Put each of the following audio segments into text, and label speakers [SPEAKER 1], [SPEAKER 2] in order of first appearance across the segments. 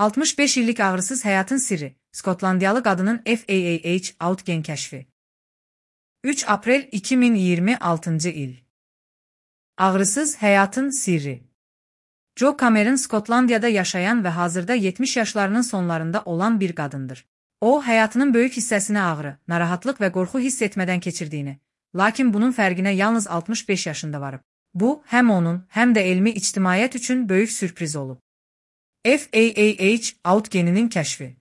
[SPEAKER 1] 65 illik ağrısız həyatın sirri, Skotlandiyalı qadının FAAH gen kəşfi. 3 aprel 2026 il. Ağrısız həyatın sirri. Jo Cameron Skotlandiyada yaşayan və hazırda 70 yaşlarının sonlarında olan bir qadındır. O, həyatının böyük hissəsini ağrı, narahatlıq və qorxu hiss etmədən keçirdiyini, lakin bunun fərqinə yalnız 65 yaşında varıb. Bu, həm onun, həm də elmi ictimaiyyət üçün böyük sürpriz olub. FAAH geninin kəşfi.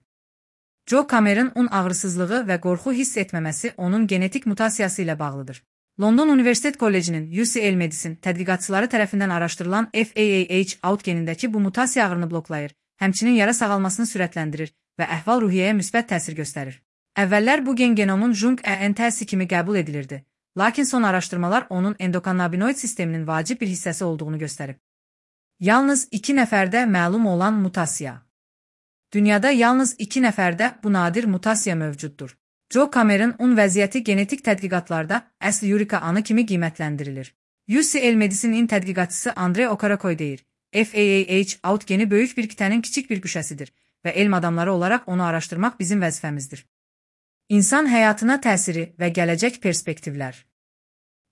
[SPEAKER 1] Jo Cameron ağrısızlığı və qorxu hiss etməməsi onun genetik mutasiyası ilə bağlıdır. London Universitet Kollecinin UCL Medicine tədqiqatçıları tərəfindən araşdırılan FAAH genindəki bu mutasiya ağrını bloklayır, həmçinin yara sağalmasını sürətləndirir və əhval-ruhiyyəyə müsbət təsir göstərir. Əvvəllər bu gen genomun Jung-ENT'si kimi qəbul edilirdi, lakin son araşdırmalar onun endokannabinoid sisteminin vacib bir hissəsi olduğunu göstərib. Yalnız 2 nəfərdə məlum olan mutasiya. Dünyada yalnız 2 nəfərdə bu nadir mutasiya mövcuddur. Jo Cameron vəziyyəti genetik tədqiqatlarda əsl yurika anı kimi qiymətləndirilir. UCL Medicine-in tədqiqatçısı Andre Okarakoy deyir, FAAH geni böyük bir kitənin kiçik bir qüşəsidir və elm adamları olaraq onu araşdırmaq bizim vəzifəmizdir. İnsan həyatına təsiri və gələcək perspektivlər.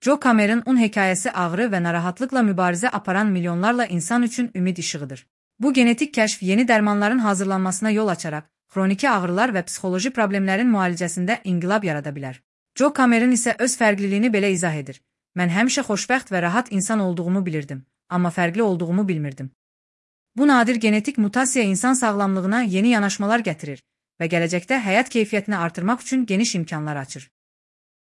[SPEAKER 1] Jo Cameron hekayəsi ağrı və narahatlıqla mübarizə aparan milyonlarla insan üçün ümid işığıdır. Bu genetik kəşf yeni dərmanların hazırlanmasına yol açaraq, xroniki ağrılar və psixoloji problemlərin müalicəsində inqilab yarada bilər. Jo Cameron isə öz fərqliliyini belə izah edir. Mən həmişə xoşbəxt və rahat insan olduğumu bilirdim, amma fərqli olduğumu bilmirdim. Bu nadir genetik mutasiya insan sağlamlığına yeni yanaşmalar gətirir və gələcəkdə həyat keyfiyyətini artırmaq üçün geniş imkanlar açır.